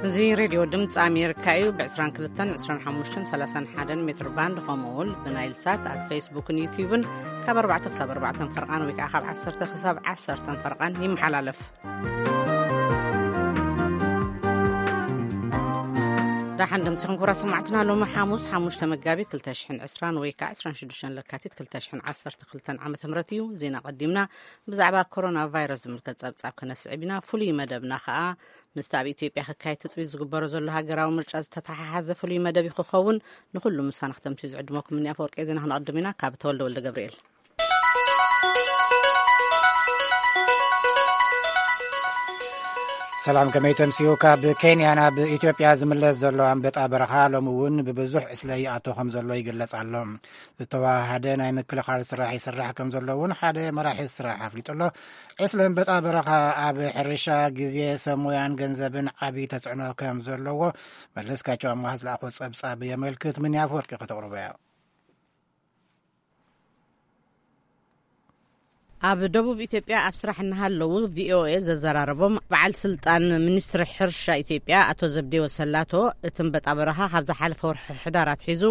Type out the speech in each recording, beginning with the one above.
እዚ ሬድዮ ድምፂ ኣሜሪካ እዩ። ብ22፣ 25፣ 31 ሜትር ባንድ፣ ከምኡ እውን ብናይል ሳት ኣብ ፌስቡክን ዩቲዩብን ካብ ኣርባዕተ ክሳብ ኣርባዕተ ፈርቓን፣ ወይ ከዓ ካብ ዓሰርተ ክሳብ ዓሰርተ ፈርቓን ይመሓላለፍ። ዳሓን ደምሲኹም ክቡራት ሰማዕትና፣ ሎሚ ሓሙስ ሓሙሽተ መጋቢት ክልተ ሽሕን ዕስራን ወይ ከዓ ዕስራን ሽዱሽተን ለካቲት ክልተ ሽሕን ዓሰርተ ክልተን ዓመተ ምህረት እዩ። ዜና ቀዲምና ብዛዕባ ኮሮና ቫይረስ ዝምልከት ጸብጻብ ከነስዕብ ኢና። ፍሉይ መደብና ከዓ ምስቲ ኣብ ኢትዮጵያ ክካየድ ትጽቢት ዝግበሮ ዘሎ ሃገራዊ ምርጫ ዝተተሓሓዘ ፍሉይ መደብ እዩ ክኸውን። ንኹሉ ምሳና ክተምስዩ ዝዕድመኩም እኒ ኣፈወርቂ ዜና ክነቐድም ኢና። ካብ ተወልደ ወልደ ገብርኤል። ሰላም፣ ከመይ ተምስዩ? ካብ ኬንያ ናብ ኢትዮጵያ ዝምለስ ዘሎ ኣንበጣ በረኻ ሎሚ እውን ብብዙሕ ዕስለ ይኣቶ ከም ዘሎ ይግለጽ ኣሎ። ዝተዋሃደ ናይ ምክልኻል ስራሕ ይስራሕ ከም ዘሎ እውን ሓደ መራሒ ስራሕ ኣፍሊጡ ኣሎ። ዕስለ ኣንበጣ በረኻ ኣብ ሕርሻ፣ ግዜ፣ ሰብ ሞያን ገንዘብን ዓቢ ተጽዕኖ ከም ዘለዎ መለስካቸው ኣማሃ ዝለኣኾ ጸብጻብ የመልክት። ምን ኣፈወርቂ ከተቕርቦ እያ። ኣብ ደቡብ ኢትዮጵያ ኣብ ስራሕ እናሃለዉ ቪኦኤ ዘዘራረቦም በዓል ስልጣን ሚኒስትሪ ሕርሻ ኢትዮጵያ ኣቶ ዘብዴዎ ሰላቶ፣ እቲ ኣንበጣ በረኻ ካብ ዝሓለፈ ወርሒ ሕዳር ኣትሒዙ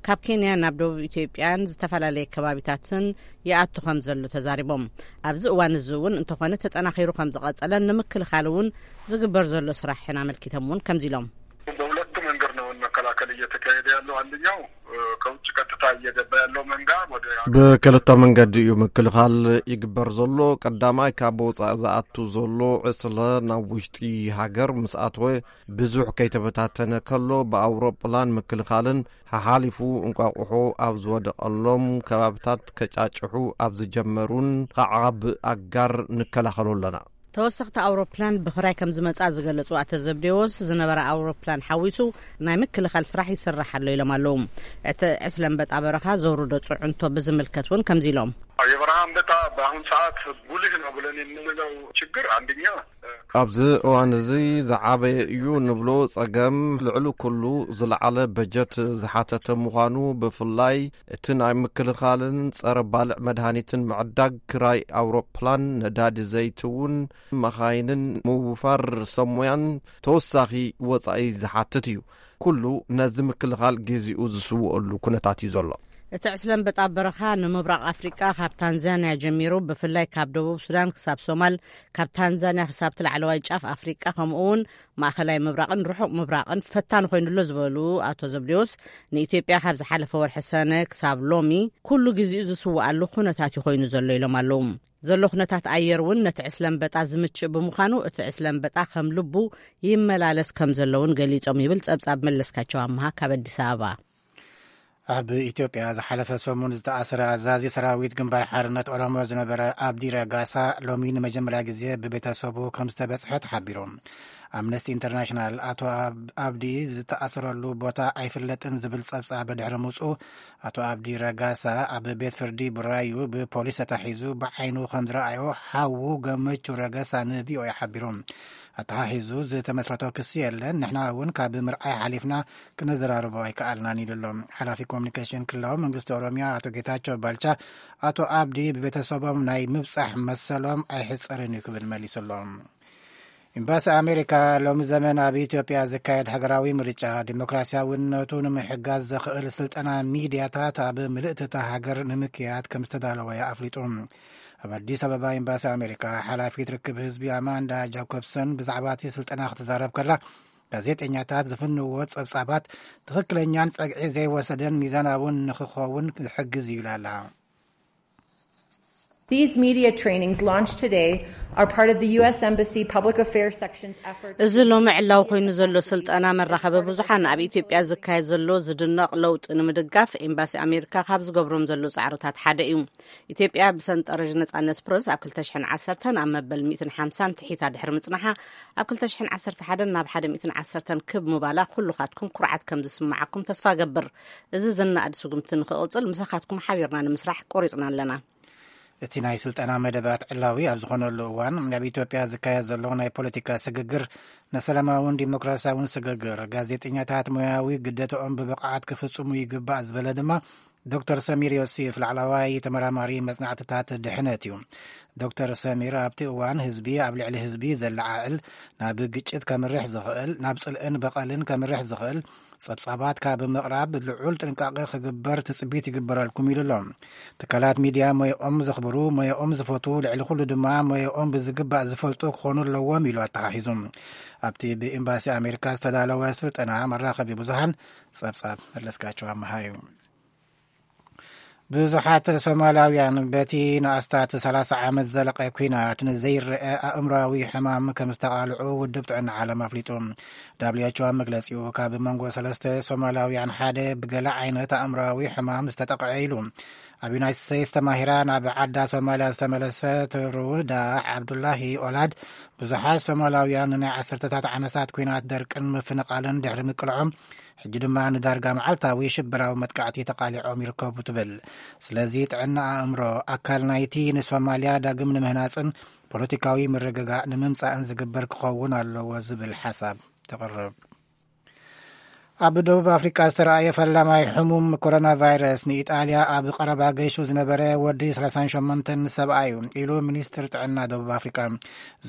ካብ ኬንያ ናብ ደቡብ ኢትዮጵያን ዝተፈላለየ ከባቢታትን ይኣቱ ከም ዘሎ ተዛሪቦም። ኣብዚ እዋን እዚ እውን እንተኾነ ተጠናኺሩ ከም ዝቐጸለን ንምክልኻል እውን ዝግበር ዘሎ ስራሕን ኣመልኪቶም እውን ከምዚ ኢሎም። በሁለት መንገድ ነው መከላከል እየተካሄደ ያለው። አንደኛው ከውጭ ቀጥታ እየገባ ያለው መንጋ ወደ በክልተ መንገዲ እዩ ምክልኻል ይግበር ዘሎ። ቀዳማይ ካብ ወፃኢ ዝኣቱ ዘሎ ዕስለ ናብ ውሽጢ ሃገር ምስ ኣተወ ብዙሕ ከይተበታተነ ከሎ ብኣውሮፕላን ምክልኻልን ሓሓሊፉ እንቋቑሖ ኣብ ዝወደቐሎም ከባብታት ከጫጭሑ ኣብ ዝጀመሩን ከዓ ብኣጋር ንከላኸሎ ኣለና። ተወሰኽቲ ኣውሮፕላን ብኽራይ ከም ዝመጽኣ ዝገለጹ ኣቶ ዘብዴዎስ፣ ዝነበራ ኣውሮፕላን ሓዊሱ ናይ ምክልኻል ስራሕ ይስራሕ ኣሎ ኢሎም ኣለዉ። እቲ ዕስለ ኣንበጣ በረኻ ዘውርዶ ጽዕንቶ ብዝምልከት እውን ከምዚ ኢሎም። የበረሃ አንበጣ በአሁን ሰዓት ጉልህ ነው ብለን የምንለው ችግር አንደኛ ኣብዚ እዋን እዚ ዝዓበየ እዩ ንብሎ ጸገም ልዕሊ ኩሉ ዝለዓለ በጀት ዝሓተተ ምዃኑ፣ ብፍላይ እቲ ናይ ምክልኻልን ጸረ ባልዕ መድሃኒትን ምዕዳግ፣ ክራይ ኣውሮፕላን፣ ነዳዲ ዘይቲ እውን፣ መኻይንን ምውፋር ሰሙያን ተወሳኺ ወጻኢ ዝሓትት እዩ። ኩሉ ነዚ ምክልኻል ግዜኡ ዝስውኣሉ ኩነታት እዩ ዘሎ። እቲ ዕስለ ኣንበጣ በረኻ ንምብራቕ ኣፍሪቃ ካብ ታንዛንያ ጀሚሩ ብፍላይ ካብ ደቡብ ሱዳን ክሳብ ሶማል፣ ካብ ታንዛንያ ክሳብ እቲ ላዕለዋይ ጫፍ ኣፍሪቃ፣ ከምኡ እውን ማእኸላይ ምብራቕን ርሑቕ ምብራቕን ፈታኒ ኮይኑሎ ዝበሉ ኣቶ ዘብዴዎስ፣ ንኢትዮጵያ ካብ ዝሓለፈ ወርሒ ሰነ ክሳብ ሎሚ ኩሉ ግዜኡ ዝስውኣሉ ኩነታት እዩ ኮይኑ ዘሎ ኢሎም ኣለዉ። ዘሎ ኩነታት ኣየር እውን ነቲ ዕስለ ኣንበጣ ዝምችእ ብምዃኑ፣ እቲ ዕስለ ኣንበጣ ከም ልቡ ይመላለስ ከም ዘሎ እውን ገሊጾም ይብል ጸብጻብ መለስካቸው ኣምሃ ካብ ኣዲስ ኣበባ። ኣብ ኢትዮጵያ ዝሓለፈ ሰሙን ዝተኣስረ ኣዛዚ ሰራዊት ግንባር ሓርነት ኦሮሞ ዝነበረ ኣብዲ ረጋሳ ሎሚ ንመጀመርያ ግዜ ብቤተሰቡ ከም ዝተበጽሐ ተሓቢሩ። ኣምነስቲ ኢንተርናሽናል ኣቶ ኣብ-፣ ኣብዲ ዝተኣስረሉ ቦታ ኣይፍለጥን ዝብል ጸብጻብ ድሕሪ ምውጽኡ፣ ኣቶ ኣብዲ ረጋሳ ኣብ ቤት ፍርዲ ቡራዩ ብፖሊስ ተታሒዙ ብዓይኑ ከም ዝረኣዮ ሓዉ ገመቹ ረጋሳ ንቪኦኤ ሓቢሩ። ኣተሓሒዙ ዝተመስረቶ ክሲ የለን፣ ንሕና እውን ካብ ምርኣይ ሓሊፍና ክነዘራርቦ ኣይከኣልናን ኢሉ ኣሎ። ሓላፊ ኮሙኒኬሽን ክልላዊ መንግስቲ ኦሮሚያ ኣቶ ጌታቸው ባልቻ፣ ኣቶ ኣብዲ ብቤተሰቦም ናይ ምብጻሕ መሰሎም ኣይሕጸርን እዩ ክብል መሊሱ ኣሎ። ኤምባሲ ኣሜሪካ ሎሚ ዘመን ኣብ ኢትዮጵያ ዝካየድ ሃገራዊ ምርጫ ዲሞክራሲያውነቱ ንምሕጋዝ ዘኽእል ስልጠና ሚድያታት ኣብ ምልእቲ እታ ሃገር ንምክያድ ከም ዝተዳለወ ኣፍሊጡ። ኣብ ኣዲስ ኣበባ ኤምባሲ ኣሜሪካ ሓላፊት ርክብ ህዝቢ ኣማንዳ ጃኮብሰን ብዛዕባ እቲ ስልጠና ክትዛረብ ከላ፣ ጋዜጠኛታት ዝፍንዎ ጸብጻባት ትኽክለኛን ጸግዒ ዘይወሰደን ሚዛናውን ንኽኸውን ዝሕግዝ እዩ ኢላ ኣላ። These media trainings launched today are part of the U S Embassy Public Affairs Section's efforts እዚ ሎሚ ዕላዊ ኮይኑ ዘሎ ስልጠና መራኸቢ ብዙሓን ኣብ ኢትዮጵያ ዝካየድ ዘሎ ዝድነቕ ለውጢ ንምድጋፍ ኤምባሲ ኣሜሪካ ካብ ዝገብሮም ዘሎ ጻዕርታት ሓደ እዩ። ኢትዮጵያ ብሰንጠረዥ ነጻነት ፕረስ ኣብ ክልተ ሽሕን ዓሰርተን ኣብ መበል ሚእትን ሓምሳን ትሒታ ድሕሪ ምጽናሓ፣ ኣብ ክልተ ሽሕን ዓሰርተ ሓደን ናብ ሓደ ሚእትን ዓሰርተን ክብ ምባላ ኩልኻትኩም ኩርዓት ከም ዝስምዓኩም ተስፋ ገብር። እዚ ዝነኣድ ስጉምቲ ንኽቕጽል ምሳኻትኩም ሓቢርና ንምስራሕ ቆሪጽና ኣለና። እቲ ናይ ስልጠና መደባት ዕላዊ ኣብ ዝኾነሉ እዋን፣ ኣብ ኢትዮጵያ ዝካየድ ዘሎ ናይ ፖለቲካ ስግግር፣ ንሰላማውን ዲሞክራሲያውን ስግግር፣ ጋዜጠኛታት ሞያዊ ግዴታኦም ብብቕዓት ክፍጽሙ ይግባእ ዝበለ ድማ ዶክተር ሰሚር ዮሴፍ፣ ላዕለዋይ ተመራማሪ መጽናዕትታት ድሕነት እዩ። ዶክተር ሰሚር ኣብቲ እዋን ህዝቢ ኣብ ልዕሊ ህዝቢ ዘለዓዕል፣ ናብ ግጭት ከምርሕ ዝኽእል፣ ናብ ጽልእን በቐልን ከምርሕ ዝኽእል ጸብጻባት ካብ ምቕራብ ልዑል ጥንቃቐ ክግበር ትጽቢት ይግበረልኩም ኢሉ ኣሎ። ትካላት ሚድያ ሞያኦም ዘኽብሩ፣ ሞያኦም ዝፈትዉ፣ ልዕሊ ኩሉ ድማ ሞያኦም ብዝግባእ ዝፈልጡ ክኾኑ ኣለዎም ኢሉ ኣተሓሒዙ። ኣብቲ ብኤምባሲ ኣሜሪካ ዝተዳለወ ስልጠና መራኸቢ ብዙሃን ጸብጻብ መለስካቸው ኣመሃ እዩ። ብዙሓት ሶማላውያን በቲ ንኣስታት ሰላሳ ዓመት ዘለቐ ኲናት ንዘይረአ ኣእምራዊ ሕማም ከም ዝተቓልዑ ውድብ ጥዕና ዓለም ኣፍሊጡ። ዳብሊው ኤች ኦ ኣብ መግለጺኡ፣ ካብ መንጎ ሰለስተ ሶማላውያን ሓደ ብገለ ዓይነት ኣእምራዊ ሕማም ዝተጠቕዐ ኢሉ። ኣብ ዩናይትድ ስቴትስ ተማሂራ ናብ ዓዳ ሶማልያ ዝተመለሰት ሩዳ ዓብዱላሂ ኦላድ፣ ብዙሓት ሶማላውያን ንናይ ዓሰርተታት ዓመታት ኲናት ደርቅን ምፍንቓልን ድሕሪ ምቅልዖም፣ ሕጂ ድማ ንዳርጋ መዓልታዊ ሽበራዊ መጥቃዕቲ ተቓሊዖም ይርከቡ ትብል። ስለዚ ጥዕና ኣእምሮ ኣካል ናይቲ ንሶማልያ ዳግም ንምህናጽን ፖለቲካዊ ምርግጋእ ንምምጻእን ዝግበር ክኸውን ኣለዎ ዝብል ሓሳብ ተቕርብ። ኣብ ደቡብ ኣፍሪቃ ዝተረኣየ ፈላማይ ሕሙም ኮሮና ቫይረስ ንኢጣልያ ኣብ ቀረባ ገይሹ ዝነበረ ወዲ ሰላሳን ሸሞንተን ሰብኣይ እዩ ኢሉ ሚኒስትር ጥዕና ደቡብ ኣፍሪቃ።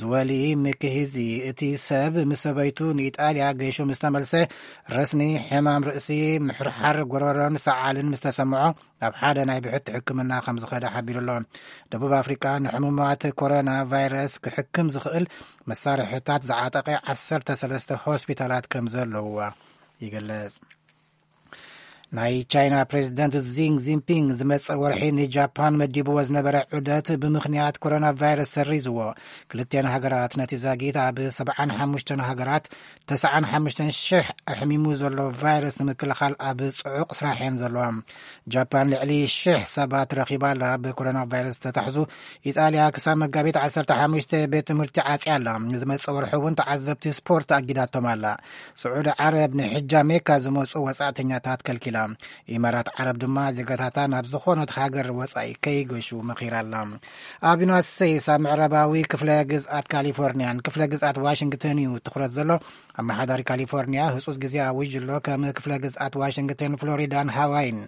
ዝወሊ ምክሂዚ፣ እቲ ሰብ ምስ ሰበይቱ ንኢጣልያ ገይሹ ምስ ተመልሰ፣ ረስኒ፣ ሕማም ርእሲ፣ ምሕርሓር ጎረሮን ሰዓልን ምስ ተሰምዖ፣ ናብ ሓደ ናይ ብሕቲ ሕክምና ከም ዝኸደ ሓቢሩ ኣሎ። ደቡብ ኣፍሪቃ ንሕሙማት ኮሮና ቫይረስ ክሕክም ዝኽእል መሳርሕታት ዝዓጠቐ ዓሰርተ ሰለስተ ሆስፒታላት ከም ዘለውዋ ይገልጽ። ናይ ቻይና ፕሬዚደንት ዚንግ ዚንፒንግ ዝመጽእ ወርሒ ንጃፓን መዲብዎ ዝነበረ ዑደት ብምኽንያት ኮሮና ቫይረስ ሰሪዝዎ። ክልቲኣን ሃገራት ነቲ ዛጊት ኣብ ሰብዓን ሓሙሽተን ሃገራት ተስዓን ሓሙሽተን ሽሕ ኣሕሚሙ ዘሎ ቫይረስ ንምክልኻል ኣብ ጽዑቕ ስራሕ እየን ዘለዋ። ጃፓን ልዕሊ ሽሕ ሰባት ረኺባ ኣላ። ብኮሮና ቫይረስ ዝተታሕዙ ኢጣልያ ክሳብ መጋቢት ዓሰርተ ሓሙሽተ ቤት ትምህርቲ ዓጽያ ኣላ። ንዝመጽእ ወርሒ እውን ተዓዘብቲ ስፖርት ኣጊዳቶም ኣላ። ስዑዲ ዓረብ ንሕጃ ሜካ ዝመጹ ወጻእተኛታት ከልኪላ። ኢማራት ዓረብ ድማ ዜጋታታ ናብ ዝኾነት ሃገር ወጻኢ ከይገሹ መኺራ ኣላ። ኣብ ዩናይትድ ስቴትስ ኣብ ምዕራባዊ ክፍለ ግዝኣት ካሊፎርኒያን ክፍለ ግዝኣት ዋሽንግተን እዩ ትኹረት ዘሎ። ኣመሓዳሪ ካሊፎርኒያ ህጹጽ ግዜ ኣዊጁ ኣሎ። ከም ክፍለ ግዝኣት ዋሽንግተን፣ ፍሎሪዳን ሃዋይን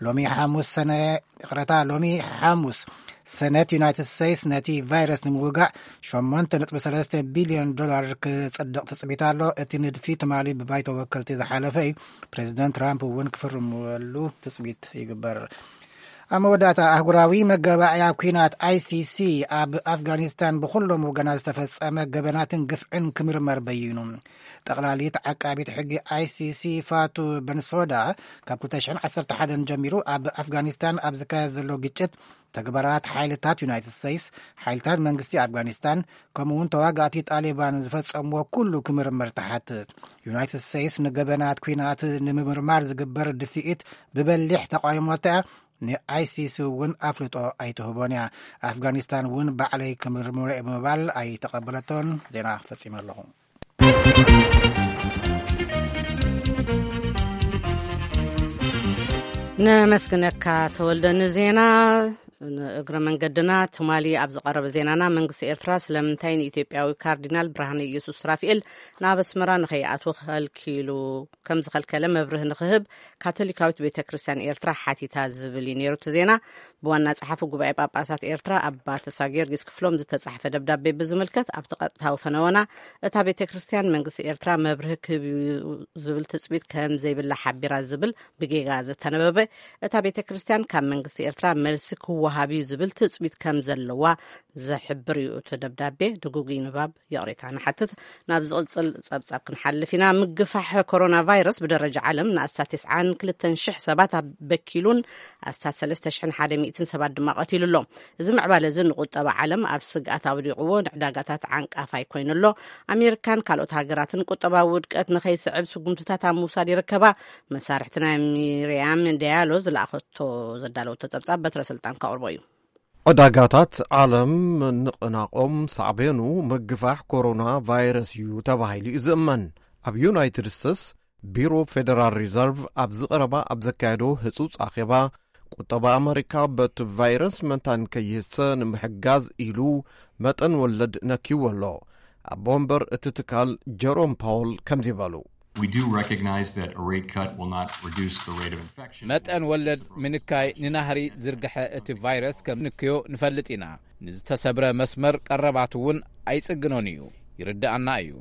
ሎሚ ሓሙስ ሰነ ይቕረታ፣ ሎሚ ሓሙስ ሰነት ዩናይትድ ስቴትስ ነቲ ቫይረስ ንምውጋእ ሸሞንተ ነጥቢ ሰለስተ ቢልዮን ዶላር ክጽድቕ ትጽቢት ኣሎ። እቲ ንድፊ ትማሊ ብባይቶ ወከልቲ ዝሓለፈ እዩ። ፕሬዚደንት ትራምፕ እውን ክፍርምሉ ትጽቢት ይግበር። ኣብ መወዳእታ፣ ኣህጉራዊ መጋባእያ ኲናት ኣይ ሲ ሲ ኣብ ኣፍጋኒስታን ብኹሎም ወገናት ዝተፈጸመ ገበናትን ግፍዕን ክምርመር በይኑ። ጠቕላሊት ዓቃቢት ሕጊ ኣይ ሲ ሲ ፋቱ በንሶዳ፣ ካብ ክልተ ሽሕን ዓሰርተ ሓደን ጀሚሩ ኣብ ኣፍጋኒስታን ኣብ ዝካየድ ዘሎ ግጭት፣ ተግባራት ሓይልታት ዩናይትድ ስቴትስ፣ ሓይልታት መንግስቲ ኣፍጋኒስታን፣ ከምኡ እውን ተዋጋእቲ ጣሊባን ዝፈጸምዎ ኩሉ ክምርመር ትሓትት። ዩናይትድ ስቴትስ ንገበናት ኲናት ንምምርማር ዝግበር ድፍኢት ብበሊሕ ተቃይሞታ እያ። ንኣይ ሲ ሲ እውን ኣፍልጦ ኣይትህቦን እያ። ኣፍጋኒስታን እውን ባዕለይ ክምርምሮ እየ ብምባል ኣይተቐበለቶን። ዜና ፈጺመ ኣለኹ። ነመስግነካ ተወልደ ንዜና። ንእግረ መንገድና ትማሊ ኣብ ዝቐረበ ዜናና፣ መንግስቲ ኤርትራ ስለምንታይ ንኢትዮጵያዊ ካርዲናል ብርሃነ ኢየሱስ ሱራፊኤል ናብ ኣስመራ ንኸይኣትዉ ከልኪሉ ከም ዝኸልከለ መብርህ ንኽህብ ካቶሊካዊት ቤተ ክርስቲያን ኤርትራ ሓቲታ ዝብል እዩ ነይሩ እቲ ዜና። ብዋና ጸሓፊ ጉባኤ ጳጳሳት ኤርትራ ኣባ ተስፋ ጊዮርጊስ ክፍሎም ዝተጻሕፈ ደብዳቤ ብዝምልከት፣ ኣብቲ ቀጥታዊ ፈነወና፣ እታ ቤተ ክርስቲያን መንግስቲ ኤርትራ መብርህ ክህብ እዩ ዝብል ትጽቢት ከም ዘይብላ ሓቢራ ዝብል ብጌጋ ዝተነበበ፣ እታ ቤተ ክርስቲያን ካብ መንግስቲ ኤርትራ መልሲ ክወሃብ እዩ ዝብል ትጽቢት ከም ዘለዋ ዝሕብር እዩ እቲ ደብዳቤ። ድጉጉይ ንባብ ይቕሬታ ንሓትት። ናብ ዝቕጽል ጸብጻብ ክንሓልፍ ኢና። ምግፋሕ ኮሮና ቫይረስ ብደረጃ ዓለም ንኣስታት ተስዓን ክልተን ሽሕ ሰባት ኣበኪሉን ኣስታት ሰለስተ ሽሕን ሓደ ሚእትን ሰባት ድማ ቀቲሉ ኣሎ። እዚ ምዕባለ እዚ ንቁጠባ ዓለም ኣብ ስግኣት ኣውዲቕዎ፣ ንዕዳጋታት ዓንቃፋይ ኮይኑ ኣሎ። ኣሜሪካን ካልኦት ሃገራትን ቁጠባዊ ውድቀት ንኸይስዕብ ስጉምትታት ኣብ ምውሳድ ይርከባ። መሳርሕቲ ናይ ሚርያም ዳያሎ ዝለኣኸቶ፣ ዘዳለወቶ ጸብጻብ በትረ ስልጣን ከቕርቦ እዩ። ዕዳጋታት ዓለም ምንቕናቖም ሳዕቤኑ ምግፋሕ ኮሮና ቫይረስ እዩ ተባሂሉ እዩ ዝእመን። ኣብ ዩናይትድ ስቴትስ ቢሮ ፌደራል ሪዘርቭ ኣብዚ ቀረባ ኣብ ዘካየዶ ህጹጽ ኣኼባ፣ ቁጠባ ኣመሪካ በቲ ቫይረስ መታን ከይህሰ ንምሕጋዝ ኢሉ መጠን ወለድ ነኪዎ ኣሎ። ኣቦ ወንበር እቲ ትካል ጀሮም ፓውል ከምዚ በሉ። We do recognize that a rate cut will not reduce the rate of infection. መጠን ወለድ ምንካይ ንናህሪ ዝርግሐ እቲ ቫይረስ ከም ንክዮ ንፈልጥ ኢና። ንዝተሰብረ መስመር ቀረባት እውን ኣይጽግኖን እዩ። ይርድኣና እዩ።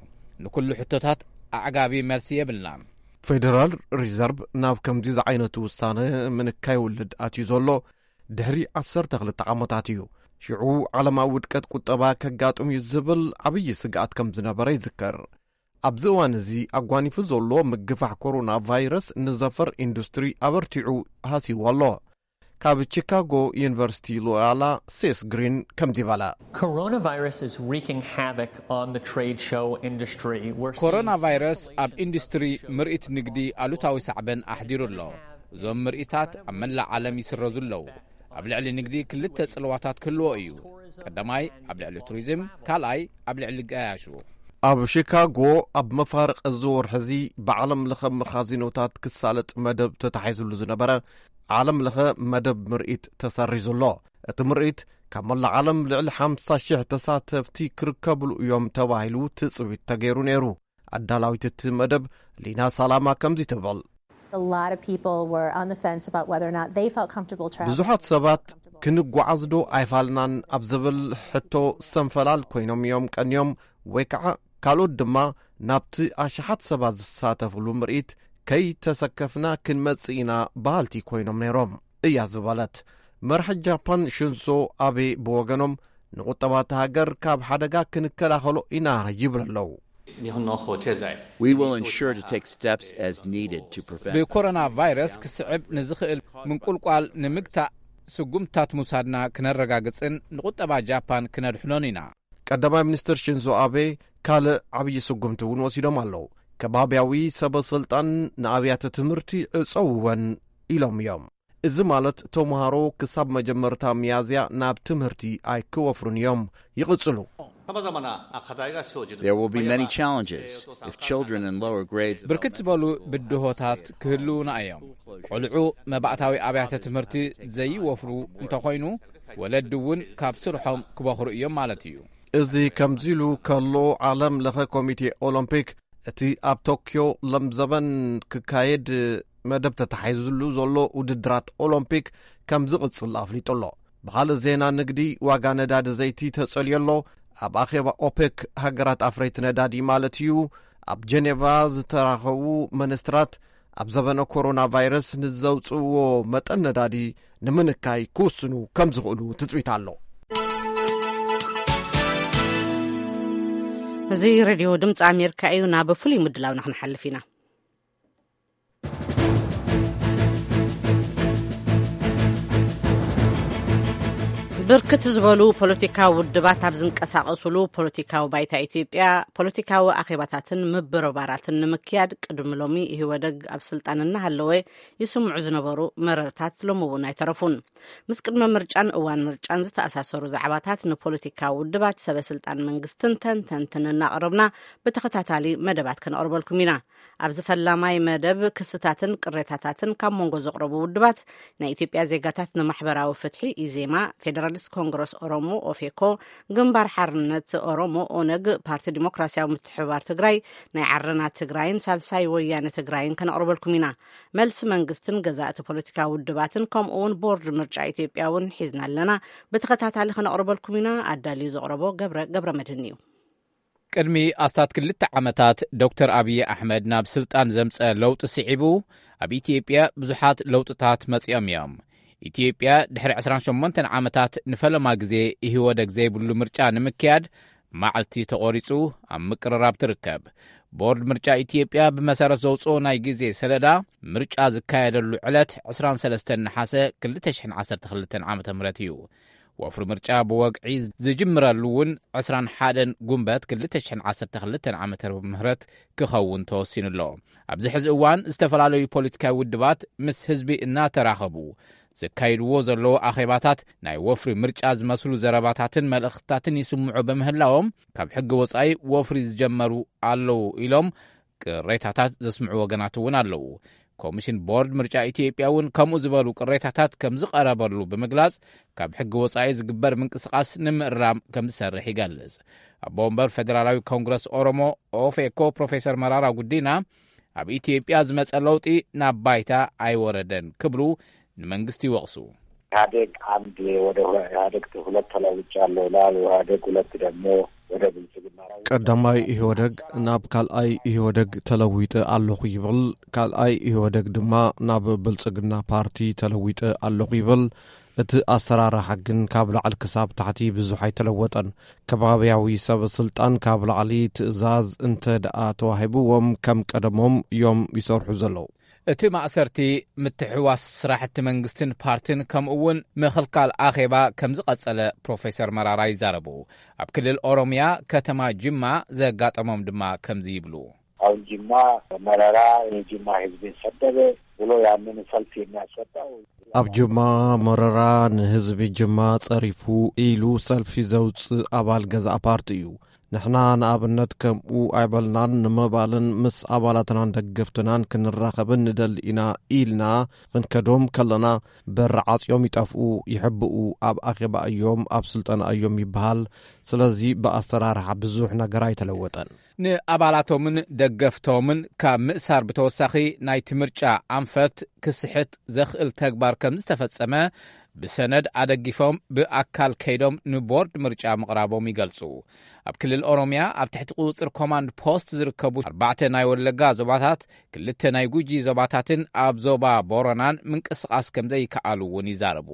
ንኩሉ ሕቶታት ኣዕጋቢ መልሲ የብልናን። ፌደራል ሪዘርቭ ናብ ከምዚ ዝዓይነቱ ውሳነ ምንካይ ውልድ ኣትዩ ዘሎ ድሕሪ ዓሰርተ ክልተ ዓመታት እዩ። ሽዑ ዓለማዊ ውድቀት ቁጠባ ከጋጥም እዩ ዝብል ዓብዪ ስግኣት ከም ዝነበረ ይዝከር። ኣብዚ እዋን እዚ ኣጓኒፉ ዘሎ ምግፋሕ ኮሮና ቫይረስ ንዘፈር ኢንዱስትሪ ኣበርቲዑ ሃሲዎ ኣሎ። ካብ ቺካጎ ዩኒቨርሲቲ ሎያላ ሴስ ግሪን ከምዚ በለ። Coronavirus is wreaking havoc on the trade show industry. We're seeing ኮሮና ቫይረስ ኣብ ኢንዱስትሪ ምርኢት ንግዲ ኣሉታዊ ሳዕበን ኣሕዲሩ ኣሎ። እዞም ምርኢታት ኣብ መላእ ዓለም ይስረዙ ኣለዉ። ኣብ ልዕሊ ንግዲ ክልተ ጽልዋታት ክህልዎ እዩ። ቀዳማይ ኣብ ልዕሊ ቱሪዝም፣ ካልኣይ ኣብ ልዕሊ ገያሹ። ኣብ ሺካጎ ኣብ መፋርቕ እዚ ወርሒ እዚ ብዓለም ለኸ መኻዚኖታት ክሳለጥ መደብ ተታሒዙሉ ዝነበረ ዓለም ለኸ መደብ ምርኢት ተሰሪዙ ኣሎ። እቲ ምርኢት ካብ መላእ ዓለም ልዕሊ ሓምሳ ሽሕ ተሳተፍቲ ክርከብሉ እዮም ተባሂሉ ትጽቢት ተገይሩ ነይሩ። ኣዳላዊት እቲ መደብ ሊና ሳላማ ከምዚ ትብል። A lot of people were on the fence about whether or not they felt comfortable traveling. ብዙሓት ሰባት ክንጓዓዝ ዶ ኣይፋልናን ኣብ ዝብል ሕቶ ሰንፈላል ኮይኖም እዮም ቀንዮም፣ ወይ ከዓ ካልኦት ድማ ናብቲ ኣሽሓት ሰባት ዝሳተፍሉ ምርኢት ከይተሰከፍና ክንመጽእ ኢና በሃልቲ ኮይኖም ነይሮም እያ ዝበለት። መርሒ ጃፓን ሽንሶ ኣቤ ብወገኖም ንቁጠባ እታ ሃገር ካብ ሓደጋ ክንከላኸሎ ኢና ይብሉ ኣለዉ። We will ensure to take steps as needed to prevent ብኮሮና ቫይረስ ክስዕብ ንዝኽእል ምንቁልቋል ንምግታእ ስጉምትታት ምውሳድና ክነረጋግጽን ንቁጠባ ጃፓን ክነድሕኖን ኢና። ቀዳማይ ሚኒስትር ሽንዞ ኣቤ ካልእ ዓብዪ ስጉምቲ እውን ወሲዶም ኣለዉ። ከባብያዊ ሰበ ስልጣን ንኣብያተ ትምህርቲ ዕጸውወን ኢሎም እዮም። እዚ ማለት ተምሃሮ ክሳብ መጀመርታ ሚያዝያ ናብ ትምህርቲ ኣይክወፍሩን እዮም። ይቕጽሉ። There will be many challenges if children in lower grades ብርክት ዝበሉ ብድሆታት ክህልዉና እዮም። ቆልዑ መባእታዊ ኣብያተ ትምህርቲ ዘይወፍሩ እንተኾይኑ፣ ወለዲ እውን ካብ ስርሖም ክበኽሩ እዮም ማለት እዩ። እዚ ከምዚ ኢሉ ከሎ፣ ዓለም ለኸ ኮሚቴ ኦሎምፒክ እቲ ኣብ ቶክዮ ለምዘበን ክካየድ መደብ ተታሒዙሉ ዘሎ ውድድራት ኦሎምፒክ ከም ዝቕጽል ኣፍሊጡ ኣሎ። ብኻልእ ዜና ንግዲ፣ ዋጋ ነዳዲ ዘይቲ ተጸልዮ ኣሎ። ኣብ ኣኼባ ኦፔክ፣ ሃገራት ኣፍረይቲ ነዳዲ ማለት እዩ፣ ኣብ ጀኔቫ ዝተራኸቡ ሚኒስትራት ኣብ ዘበነ ኮሮና ቫይረስ ንዘውጽእዎ መጠን ነዳዲ ንምንካይ ክውስኑ ከም ዝኽእሉ ትጽቢት ኣሎ። እዚ ሬድዮ ድምፂ ኣሜሪካ እዩ። ናብ ፍሉይ ምድላውና ክንሓልፍ ኢና። ብርክት ዝበሉ ፖለቲካዊ ውድባት ኣብ ዝንቀሳቐሱሉ ፖለቲካዊ ባይታ ኢትዮጵያ ፖለቲካዊ ኣኼባታትን ምብርባራትን ንምክያድ ቅድሚ ሎሚ ኢህወደግ ኣብ ስልጣን እናሃለወ ይስምዑ ዝነበሩ መረርታት ሎሚ እውን ኣይተረፉን። ምስ ቅድመ ምርጫን እዋን ምርጫን ዝተኣሳሰሩ ዛዕባታት ንፖለቲካዊ ውድባት፣ ሰበ ስልጣን መንግስትን ተንተንትን እናቕረብና ብተኸታታሊ መደባት ከነቕርበልኩም ኢና። ኣብዚ ፈላማይ መደብ ክስታትን ቅሬታታትን ካብ መንጎ ዘቕረቡ ውድባት ናይ ኢትዮጵያ ዜጋታት ንማሕበራዊ ፍትሒ ኢዜማ፣ ፌደራሊስት ኮንግረስ ኦሮሞ ኦፌኮ፣ ግንባር ሓርነት ኦሮሞ ኦነግ፣ ፓርቲ ዲሞክራሲያዊ ምትሕብባር ትግራይ፣ ናይ ዓረና ትግራይን ሳልሳይ ወያነ ትግራይን ከነቕርበልኩም ኢና። መልሲ መንግስትን ገዛእቲ ፖለቲካዊ ውድባትን ከምኡ እውን ቦርድ ምርጫ ኢትዮጵያ እውን ሒዝና ኣለና። ብተኸታታሊ ከነቕርበልኩም ኢና። ኣዳልዩ ዘቕረቦ ገብረ ገብረ መድህን እዩ። ቅድሚ ኣስታት ክልተ ዓመታት ዶክተር ኣብዪ ኣሕመድ ናብ ስልጣን ዘምጸ ለውጢ ስዒቡ ኣብ ኢትዮጵያ ብዙሓት ለውጥታት መጺኦም እዮም። ኢትዮጵያ ድሕሪ ዕስራን ሸሞንተን ዓመታት ንፈለማ ግዜ ኢህወደግ ዘይብሉ ምርጫ ንምክያድ መዓልቲ ተቖሪጹ ኣብ ምቅርራብ ትርከብ። ቦርድ ምርጫ ኢትዮጵያ ብመሰረት ዘውጽኦ ናይ ግዜ ሰለዳ ምርጫ ዝካየደሉ ዕለት ዕስራን ሰለስተን ነሓሰ ክልተ ሽሕን ዓሰርተ ክልተን ዓመተ ምህረት እዩ። ወፍሪ ምርጫ ብወግዒ ዝጅምረሉ እውን ዕስራን ሓደን ጉንበት ክልተ ሽሕን ዓሰርተ ክልተን ዓመተ ምህረት ክኸውን ተወሲኑ ኣሎ። ኣብዚ ሕዚ እዋን ዝተፈላለዩ ፖለቲካዊ ውድባት ምስ ህዝቢ እናተራኸቡ ዘካይድዎ ዘለዉ ኣኼባታት ናይ ወፍሪ ምርጫ ዝመስሉ ዘረባታትን መልእኽትታትን ይስምዑ በምህላዎም ካብ ሕጊ ወጻኢ ወፍሪ ዝጀመሩ ኣለዉ ኢሎም ቅሬታታት ዘስምዑ ወገናት እውን ኣለዉ። ኮሚሽን ቦርድ ምርጫ ኢትዮጵያ እውን ከምኡ ዝበሉ ቅሬታታት ከም ዝቐረበሉ ብምግላጽ ካብ ሕጊ ወጻኢ ዝግበር ምንቅስቓስ ንምእራም ከም ዝሰርሕ ይገልጽ። ኣቦ ወንበር ፌደራላዊ ኮንግረስ ኦሮሞ ኦፌኮ ፕሮፌሰር መራራ ጉዲና ኣብ ኢትዮጵያ ዝመጸ ለውጢ ናብ ባይታ ኣይወረደን ክብሉ ንመንግስቲ ይወቕሱ። ኢህአዴግ አንድ ወደ ኢህአዴግ ሁለት ተለውጫለሁ ይላል። ኢህአዴግ ሁለት ደግሞ ወደ ብልጽግና። ቀዳማይ ኢህወደግ ናብ ካልኣይ ኢህወደግ ተለዊጠ ኣለኹ ይብል። ካልኣይ ኢህወደግ ድማ ናብ ብልጽግና ፓርቲ ተለዊጠ ኣለኹ ይብል። እቲ ኣሰራርሓ ግን ካብ ላዕሊ ክሳብ ታሕቲ ብዙሕ ኣይተለወጠን። ከባብያዊ ሰብ ስልጣን ካብ ላዕሊ ትእዛዝ እንተ ደኣ ተዋሂብዎም ከም ቀደሞም እዮም ይሰርሑ ዘለዉ። እቲ ማእሰርቲ፣ ምትሕዋስ ስራሕቲ መንግስትን ፓርትን ከምኡ እውን ምኽልካል ኣኼባ ከም ዝቐጸለ ፕሮፌሰር መራራ ይዛረቡ። ኣብ ክልል ኦሮምያ ከተማ ጅማ ዘጋጠሞም ድማ ከምዚ ይብሉ። አሁን ጅማ መረራ የጅማ ህዝብን ሰደበ ብሎ ያንን ሰልፍ የሚያስወጣው ኣብ ጅማ መረራ ንህዝቢ ጅማ ጸሪፉ ኢሉ ሰልፊ ዘውጽእ ኣባል ገዛእ ፓርቲ እዩ። ንሕና ንኣብነት ከምኡ ኣይበልናን። ንምባልን ምስ ኣባላትናን ደገፍትናን ክንራኸብን ንደሊ ኢና ኢልና ክንከዶም ከለና በር ዓጽዮም ይጠፍኡ፣ ይሕብኡ፣ ኣብ ኣኼባ እዮም፣ ኣብ ስልጠና እዮም ይበሃል። ስለዚ ብኣሰራርሓ ብዙሕ ነገር ኣይተለወጠን። ንኣባላቶምን ደገፍቶምን ካብ ምእሳር ብተወሳኺ ናይቲ ምርጫ ኣንፈት ክስሕት ዘኽእል ተግባር ከም ዝተፈጸመ ብሰነድ ኣደጊፎም ብኣካል ከይዶም ንቦርድ ምርጫ ምቕራቦም ይገልጹ። ኣብ ክልል ኦሮምያ ኣብ ትሕቲ ቁጽጽር ኮማንድ ፖስት ዝርከቡ ኣርባዕተ ናይ ወለጋ ዞባታት፣ ክልተ ናይ ጉጂ ዞባታትን ኣብ ዞባ ቦረናን ምንቅስቓስ ከም ዘይከኣሉ እውን ይዛረቡ።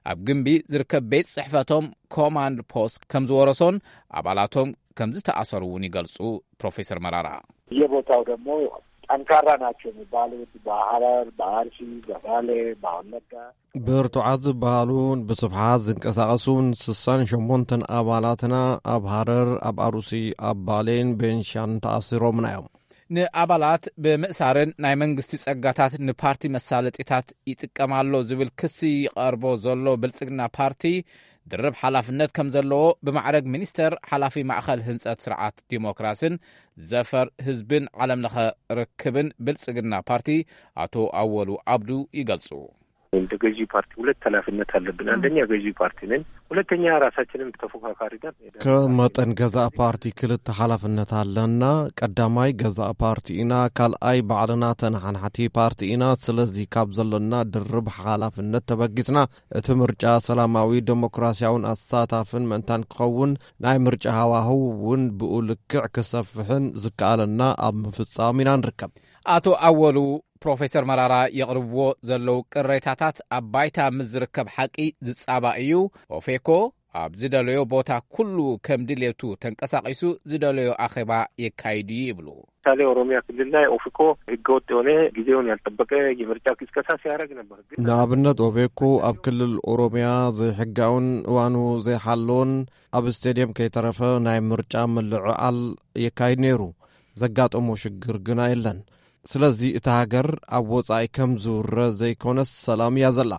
ኣብ ግንቢ ዝርከብ ቤት ጽሕፈቶም ኮማንድ ፖስት ከም ዝወረሶን ኣባላቶም ከም ዝተኣሰሩ እውን ይገልጹ። ፕሮፌሰር መራራ የቦታው ደግሞ ጠንካራ ናቸው የሚባሉት በሐረር፣ በአርሲ፣ በባሌ፣ በወለጋ ብርቱዓት ዝበሃሉን ብስፍሓት ዝንቀሳቐሱን ስሳን ሸሞንተን ኣባላትና ኣብ ሃረር፣ ኣብ ኣሩሲ፣ ኣብ ባሌን ቤንሻን ተኣሲሮምና እዮም። ንኣባላት ብምእሳርን ናይ መንግስቲ ጸጋታት ንፓርቲ መሳለጢታት ይጥቀም ኣሎ ዝብል ክሲ ይቐርቦ ዘሎ ብልጽግና ፓርቲ፣ ድርብ ሓላፍነት ከም ዘለዎ ብማዕረግ ሚኒስተር ሓላፊ ማእኸል ህንጸት ስርዓት ዲሞክራስን ዘፈር ህዝብን ዓለምለኸ ርክብን ብልጽግና ፓርቲ ኣቶ ኣወሉ ኣብዱ ይገልጹ። እንደ ገዢ ፓርቲ ሁለት ኃላፊነት አለብን። አንደኛ ገዢ ፓርቲ ነን፣ ሁለተኛ ራሳችንን ተፎካካሪ ነን። ከመጠን ገዛእ ፓርቲ ክልተ ሓላፍነት ኣለና። ቀዳማይ ገዛእ ፓርቲ ኢና፣ ካልኣይ ባዕልና ተነሓናሕቲ ፓርቲ ኢና። ስለዚ ካብ ዘለና ድርብ ሓላፍነት ተበጊስና እቲ ምርጫ ሰላማዊ፣ ዴሞክራሲያውን ኣሳታፍን ምእንታን ክኸውን ናይ ምርጫ ሃዋህው እውን ብኡ ልክዕ ክሰፍሕን ዝከኣለና ኣብ ምፍጻም ኢና ንርከብ። ኣቶ ኣወሉ ፕሮፌሰር መራራ የቕርብዎ ዘለዉ ቅሬታታት ኣብ ባይታ ምስ ዝርከብ ሓቂ ዝጻባእ እዩ። ኦፌኮ ኣብ ዝደለዮ ቦታ ኩሉ ከም ድሌቱ ተንቀሳቒሱ ዝደለዮ ኣኼባ የካይድ እዩ ይብሉ። ምሳሌ ኦሮሚያ ክልል ላይ ኦፌኮ ህገወጥ የሆነ ጊዜውን ያልጠበቀ የምርጫ ቅስቀሳ ሲያደረግ ነበር። ግን ንኣብነት ኦፌኮ ኣብ ክልል ኦሮሚያ ዘይሕጋውን እዋኑ ዘይሓለውን ኣብ ስቴድየም ከይተረፈ ናይ ምርጫ ምልዕዓል የካይድ ነይሩ። ዘጋጠሞ ሽግር ግና የለን። ስለዚ እታ ሃገር ኣብ ወጻኢ ከም ዝውረ ዘይኮነስ ሰላም እያ ዘላ።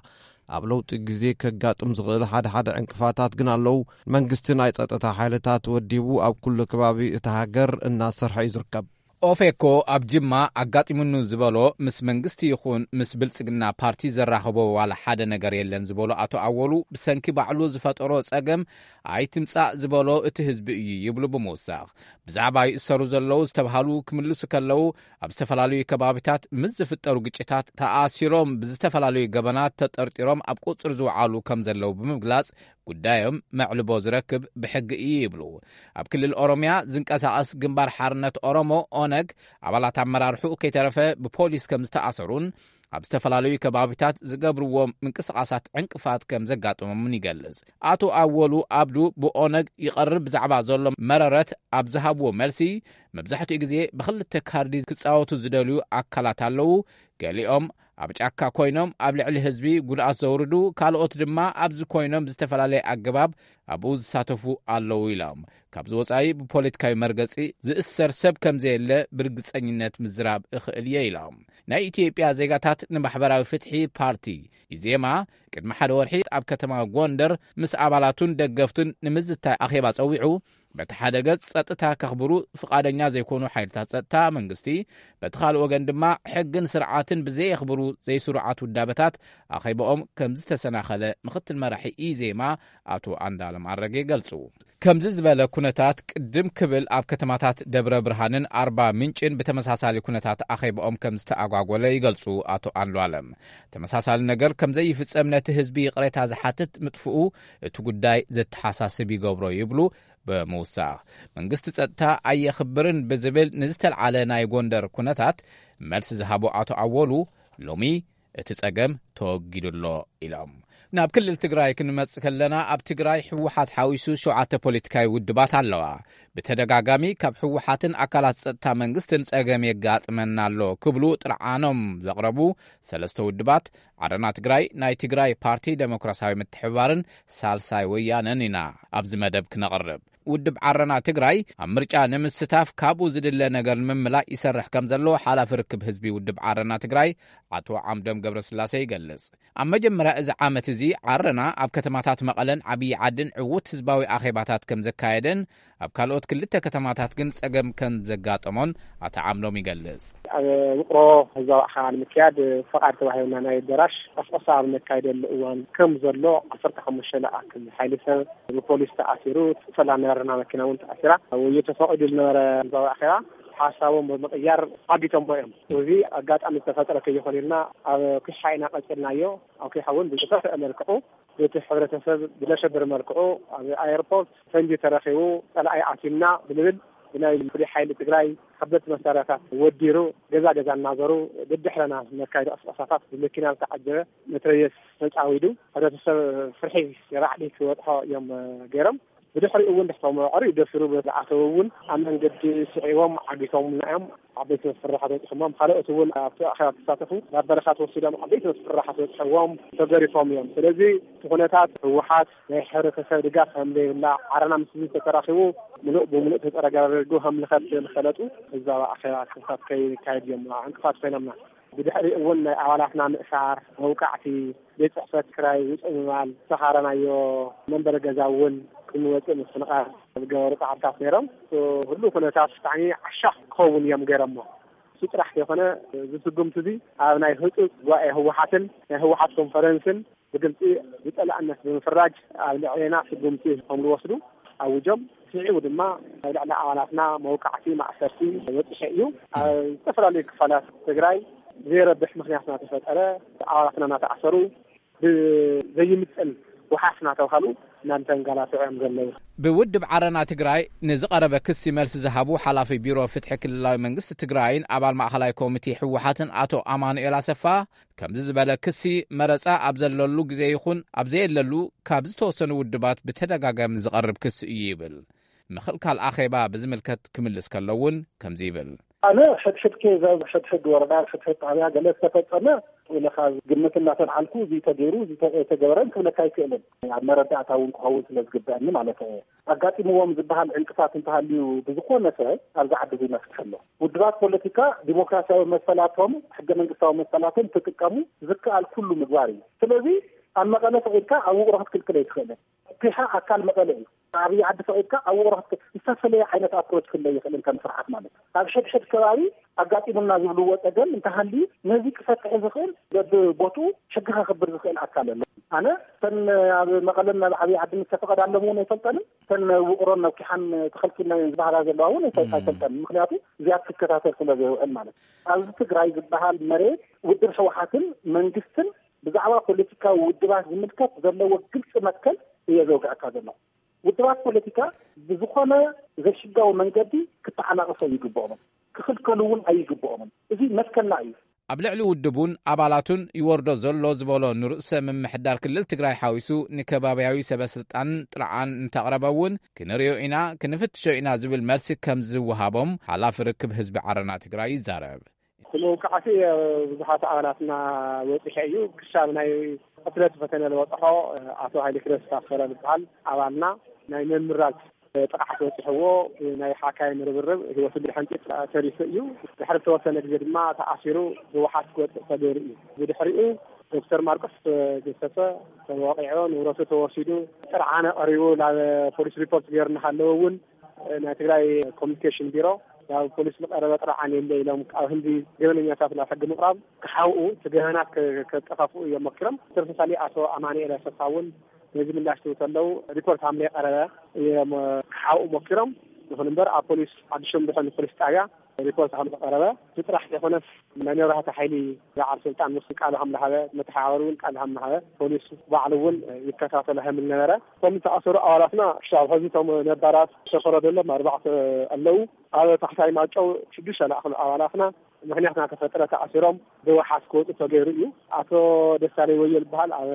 ኣብ ለውጢ ግዜ ከጋጥም ዝኽእል ሓደ ሓደ ዕንቅፋታት ግን ኣለዉ። መንግስቲ ናይ ጸጥታ ሓይልታት ወዲቡ ኣብ ኩሉ ከባቢ እታ ሃገር እናሰርሐ እዩ ዝርከብ። ኦፌኮ ኣብ ጅማ ኣጋጢሙኒ ዝበሎ ምስ መንግስቲ ይኹን ምስ ብልጽግና ፓርቲ ዘራኸቦ ዋላ ሓደ ነገር የለን ዝበሎ ኣቶ ኣወሉ፣ ብሰንኪ ባዕሉ ዝፈጠሮ ጸገም ኣይትምጻእ ዝበሎ እቲ ህዝቢ እዩ ይብሉ ብምውሳኽ፣ ብዛዕባ ይእሰሩ ዘለዉ ዝተብሃሉ ክምልሱ ከለዉ፣ ኣብ ዝተፈላለዩ ከባቢታት ምስ ዝፍጠሩ ግጭታት ተኣሲሮም ብዝተፈላለዩ ገበናት ተጠርጢሮም ኣብ ቁጽሪ ዝወዓሉ ከም ዘለዉ ብምግላጽ፣ ጉዳዮም መዕልቦ ዝረክብ ብሕጊ እዩ ይብሉ። ኣብ ክልል ኦሮምያ ዝንቀሳቐስ ግንባር ሓርነት ኦሮሞ፣ ኦነግ፣ ኣባላት ኣመራርሕኡ ከይተረፈ ብፖሊስ ከም ዝተኣሰሩን ኣብ ዝተፈላለዩ ከባቢታት ዝገብርዎም ምንቅስቓሳት ዕንቅፋት ከም ዘጋጥሞምን ይገልጽ። ኣቶ ኣወሉ ኣብዱ ብኦነግ ይቐርብ ብዛዕባ ዘሎ መረረት ኣብ ዝሃብዎ መልሲ፣ መብዛሕትኡ ግዜ ብኽልተ ካርዲ ክጻወቱ ዝደልዩ ኣካላት ኣለዉ። ገሊኦም ኣብ ጫካ ኮይኖም ኣብ ልዕሊ ህዝቢ ጉድኣት ዘውርዱ፣ ካልኦት ድማ ኣብዚ ኮይኖም ብዝተፈላለየ ኣገባብ ኣብኡ ዝሳተፉ ኣለዉ ኢሎም። ካብዚ ወጻኢ ብፖለቲካዊ መርገጺ ዝእሰር ሰብ ከም ዘየለ ብርግጸኝነት ምዝራብ እኽእል እየ ኢሎም። ናይ ኢትዮጵያ ዜጋታት ንማሕበራዊ ፍትሒ ፓርቲ፣ ኢዜማ፣ ቅድሚ ሓደ ወርሒ ኣብ ከተማ ጎንደር ምስ ኣባላቱን ደገፍቱን ንምዝታይ ኣኼባ ጸዊዑ፣ በቲ ሓደ ገጽ ጸጥታ ከኽብሩ ፍቓደኛ ዘይኮኑ ሓይልታት ጸጥታ መንግስቲ፣ በቲ ካልእ ወገን ድማ ሕግን ስርዓትን ብዘየኽብሩ ዘይስሩዓት ውዳበታት ኣኼባኦም ከም ዝተሰናኸለ ምኽትል መራሒ ኢዜማ ኣቶ ኣንዳለም ኣረጌ ገልጹ። ከምዚ ዝበለ ኩነታት ቅድም ክብል ኣብ ከተማታት ደብረ ብርሃንን ኣርባ ምንጭን ብተመሳሳሊ ኩነታት ኣኼባኦም ከም ዝተኣጓጎለ ይገልጹ ኣቶ ኣንዱኣለም። ተመሳሳሊ ነገር ከም ዘይፍጸም ነቲ ህዝቢ ይቕሬታ ዝሓትት ምጥፍኡ እቲ ጉዳይ ዘተሓሳስብ ይገብሮ ይብሉ ብምውሳኽ። መንግስቲ ጸጥታ ኣየኽብርን ብዝብል ንዝተልዓለ ናይ ጎንደር ኩነታት መልሲ ዝሃቡ ኣቶ ኣወሉ ሎሚ እቲ ጸገም ተወጊዱ ኣሎ ኢሎም። ናብ ክልል ትግራይ ክንመጽእ ከለና ኣብ ትግራይ ህወሓት ሓዊሱ ሸውዓተ ፖለቲካዊ ውድባት ኣለዋ። ብተደጋጋሚ ካብ ህወሓትን ኣካላት ጸጥታ መንግስትን ጸገም የጋጥመና ኣሎ ክብሉ ጥርዓኖም ዘቕረቡ ሰለስተ ውድባት ዓረና ትግራይ፣ ናይ ትግራይ ፓርቲ ደሞክራሲያዊ ምትሕብባርን ሳልሳይ ወያነን ኢና ኣብዚ መደብ ክነቕርብ። ውድብ ዓረና ትግራይ ኣብ ምርጫ ንምስታፍ ካብኡ ዝድለ ነገር ንምምላእ ይሰርሕ ከም ዘሎ ሓላፊ ርክብ ህዝቢ ውድብ ዓረና ትግራይ ኣቶ ዓምዶም ገብረስላሴ ይገልጽ። ኣብ መጀመርያ እዚ ዓመት እዚ ዓረና ኣብ ከተማታት መቐለን ዓብዪ ዓድን ዕዉት ህዝባዊ ኣኼባታት ከም ዘካየደን ኣብ ካልኦት ክልተ ከተማታት ግን ጸገም ከም ዘጋጠሞን ኣቶ ዓምዶም ይገልጽ። ኣብ ውቕሮ ህዝባዊ ኣኼባ ንምክያድ ፈቓድ ተዋሂብና ናይ ኣዳራሽ ቀስቀሳ ኣብ ነካይደሉ እዋን ከም ዘሎ ዓሰርተ ሓሙሽተ ለኣክል ሓይሊ ሰብ ብፖሊስ ተኣሲሩ፣ ሰላም ናይ ዓረና መኪና እውን ተኣሲራ። ውይይት ተፈቒዱ ዝነበረ ህዝባዊ ኣኼባ ሓሳቦም ብምቕያር ዓጊቶሞ እዮም። እዚ ኣጋጣሚ ዝተፈጠረ ከይኾነ ኢልና ኣብ ኲሓ ኢና ቀጺልናዮ። ኣብ ኲሓ እውን ብዝኸፍአ መልክዑ እቲ ሕብረተሰብ ብለሸብር መልክዑ ኣብ ኣየርፖርት ፈንጂ ተረኺቡ፣ ጸላኢ ኣቲምና ብንብል ብናይ ፍሉይ ሓይሊ ትግራይ ከበድቲ መሳርያታት ወዲሩ ገዛ ገዛ እናዞሩ ደድሕረና ነካይዶ ቀስቀሳታት ብመኪና ዝተዓጀበ መትረየስ ተጻዊዱ፣ ሕብረተሰብ ፍርሒ ራዕዲ ክበጽሖ እዮም ገይሮም። ብድሕሪኡ እውን ድሕቶም ቀሪ ደፊሩ ዝኣተው እውን ኣብ መንገዲ ስዒቦም ዓጊቶምና እዮም። ዓበይቲ መፍርሓት በፂሖሞም፣ ካልኦት እውን ኣብቲ ኣኼባ ተሳተፉ ናብ በረኻ ተወሲዶም ዓበይቲ መፍርሓት በፂሖዎም ተገሪፎም እዮም። ስለዚ እቲ ኩነታት ህወሓት ናይ ሕብረተሰብ ድጋፍ ከም ዘይብላ ዓረና ምስ ህዝቢ ተተራኺቡ ምሉእ ብምሉእ ተፀረጋሪጉ ከም ልኸት ዝፈለጡ ህዝባዊ ኣኼባ ክፍታት ከይካየድ እዮም ዕንቅፋት ኮይኖምና። ብድሕሪኡ እውን ናይ ኣባላትና ምእሳር፣ መውቃዕቲ፣ ቤት ጽሕፈት ክራይ ውፅእ ምባል፣ ዝተኻረናዮ መንበሪ ገዛ እውን ክንወፅእ ምፍንቓል ዝገበሩ ፃዕርታት ነይሮም። እቲ ኩሉ ኩነታት ብጣዕሚ ዓሻ ክኸውን እዮም ገይሮሞ። እሱ ጥራሕ ዘይኮነ፣ እዚ ስጉምቲ እዚ ኣብ ናይ ህፁፅ ጉባኤ ህወሓትን ናይ ህወሓት ኮንፈረንስን ብግልፂ ብፀላእነት ብምፍራጅ ኣብ ልዕሌና ስጉምቲ ከም ዝወስዱ ኣውጆም። ስዒቡ ድማ ኣብ ልዕሊ ኣባላትና መውቃዕቲ፣ ማእሰርቲ በፂሑ እዩ። ኣብ ዝተፈላለዩ ክፋላት ትግራይ ዘይረብሕ ምኽንያት እናተፈጠረ ኣባላትና እናተኣሰሩ፣ ብዘይምጥን ወሓስ እናተባሃሉ እናተንገላትዑ እዮም ዘለዉ። ብውድብ ዓረና ትግራይ ንዝቐረበ ክሲ መልሲ ዝሃቡ ሓላፊ ቢሮ ፍትሒ ክልላዊ መንግስቲ ትግራይን ኣባል ማእኸላይ ኮሚቴ ህወሓትን ኣቶ ኣማኑኤል ኣሰፋ፣ ከምዚ ዝበለ ክሲ መረፃ ኣብ ዘለሉ ግዜ ይኹን ኣብ ዘየለሉ ካብ ዝተወሰኑ ውድባት ብተደጋጋሚ ዝቐርብ ክሲ እዩ ይብል። ምኽልካል ኣኼባ ብዝምልከት ክምልስ ከሎ እውን ከምዚ ይብል። ኣነ ሕድሕድ ከ ሕድሕድ ወረዳ፣ ሕድሕድ ጣብያ ገለ ዝተፈጸመ ኢለ ካብ ግምት እናተልዓልኩ፣ እዚ ተገይሩ፣ እዚ ተ-፣ ተገበረን ክብለካ ኣይክእልን። ኣብ መረዳእታ እውን ክኸውን ስለ ዝግበአኒ ማለት እየ። ኣጋጢምዎም ዝበሃል ዕንቅፋት እንተሃልዩ ብዝኾነ ሰብ ኣብዚ ዓዲ እዚ መፍትሒ ኣሎ። ውድባት ፖለቲካ ዲሞክራሲያዊ መሰላቶም፣ ሕገ መንግስታዊ መሰላቶም ክጥቀሙ ዝከኣል ኩሉ ምግባር እዩ። ስለዚ ኣብ መቐለ ፈቒድካ ኣብ ውቕሮ ክትክልክል ኣይትኽእልን። ፒሓ ኣካል መቐለ እዩ። ኣብይ ዓዲ ፈቒድካ ኣብ ውቕሮ ክትክል-፣ ዝተፈለየ ዓይነት ኣፕሮች ክህለ ይኽእል ከም ስርዓት ማለት እዩ። ኣብ ሕድሕድ ከባቢ ኣጋጢሙና ዝብልዎ ጸገም እንተሃልዩ ነዚ ክፈትሕ ዝኽእል በብቦትኡ ሕጊ ከኽብር ዝኽእል ኣካል ኣሎ። ኣነ እተን ኣብ መቐለን ኣብ ዓብይ ዓድን ዝተፈቐዳሎም እውን ኣይፈልጠንን፣ እተን ውቕሮን ኣብ ኪሓን ተኸልኪልናየን ዝበሃላ ዘለዋ እውን ኣይፈ-፣ ኣይፈልጠንን። ምኽንያቱ እዚኣ ክትከታተል ስለ ዘይውዕል ማለት እዩ። ኣብዚ ትግራይ ዝበሃል መሬት ውድብ ህወሓትን መንግስትን ብዛዕባ ፖለቲካዊ ውድባት ዝምልከት ዘለዎ ግልፂ መትከል እየ ዘውግዐካ ዘለኹ። ውድባት ፖለቲካ ብዝኾነ ዘይሕጋዊ መንገዲ ክተዓናቐፎ ኣይግብኦምን፣ ክኽልከሉ እውን ኣይግብኦምን። እዚ መትከልና እዩ። ኣብ ልዕሊ ውድቡን ኣባላቱን ይወርዶ ዘሎ ዝበሎ ንርእሰ ምምሕዳር ክልል ትግራይ ሓዊሱ ንከባብያዊ ሰበ ስልጣንን ጥርዓን እንተቕረበ እውን ክንርእዮ ኢና፣ ክንፍትሾ ኢና ዝብል መልሲ ከም ዝወሃቦም ሓላፊ ርክብ ህዝቢ ዓረና ትግራይ ይዛረብ። እቲ መውቃዕቲ ኣብ ብዙሓት ኣባላትና በፂሑ እዩ። ክሻብ ናይ ቅትለት ፈተነ ዝበፅሖ ኣቶ ሃይለ ክረስ ታፈረ ዝበሃል ኣባልና ናይ ምምራዝ ጥቕዓት በፂሕዎ ናይ ሓካይም ርብርብ ህይወቱ ብድሕንጢ ተሪፉ እዩ። ድሕሪ ዝተወሰነ ግዜ ድማ ተኣሲሩ ብወሓት ክወፅእ ተገይሩ እዩ። ብድሕሪኡ ዶክተር ማርቆስ ገሰሰ ተወቂዑ፣ ንብረቱ ተወሲዱ፣ ጥርዓነ ቀሪቡ ናብ ፖሊስ ሪፖርት ገይሩ እናሃለወ እውን ናይ ትግራይ ኮሚኒኬሽን ቢሮ ናብ ፖሊስ ዝቐረበ ጥራሕ ዓን የለ ኢሎም ኣብ ህንዲ ገበነኛታት ናብ ሕጊ ምቕራብ ክሓውኡ፣ እቲ ገበናት ከ-፣ ከጠፋፍኡ እዮም ሞኪሮም። ተመሳሳሊ ኣቶ ኣማኑኤል ኣሰፋ እውን ነዚ ምላሽ ክህቡ ከለዉ ሪፖርት ሃምለ ቀረበ እዮም ክሓውኡ ሞኪሮም። ይኹን እምበር ኣብ ፖሊስ ሓድሾም ድሕን ፖሊስ ጣብያ ሪፖርት ከም ዝቐረበ፣ እዚ ጥራሕ ዘይኮነስ ናይ መብራህቲ ሓይሊ በዓል ስልጣን ምስ ቃል ከም ዝሃበ፣ መተሓባበሪ እውን ቃል ከም ዝሃበ፣ ፖሊስ ባዕሉ እውን ይከታተሎ ከም ዝነበረ፣ እቶም ዝተኣሰሩ ኣባላትና ክሻብ ሕዚ እቶም ነባራት ዝተፈረደሎም ኣርባዕተ ኣለዉ። ኣብ ታሕታይ ማጨው ሽዱሽተ ዝኣኽሉ ኣባላትና ምኽንያት እናተፈጠረ ተኣሲሮም ብወሓስ ክወፁ ተገይሩ እዩ። ኣቶ ደሳለይ ወዮ ዝበሃል ኣብ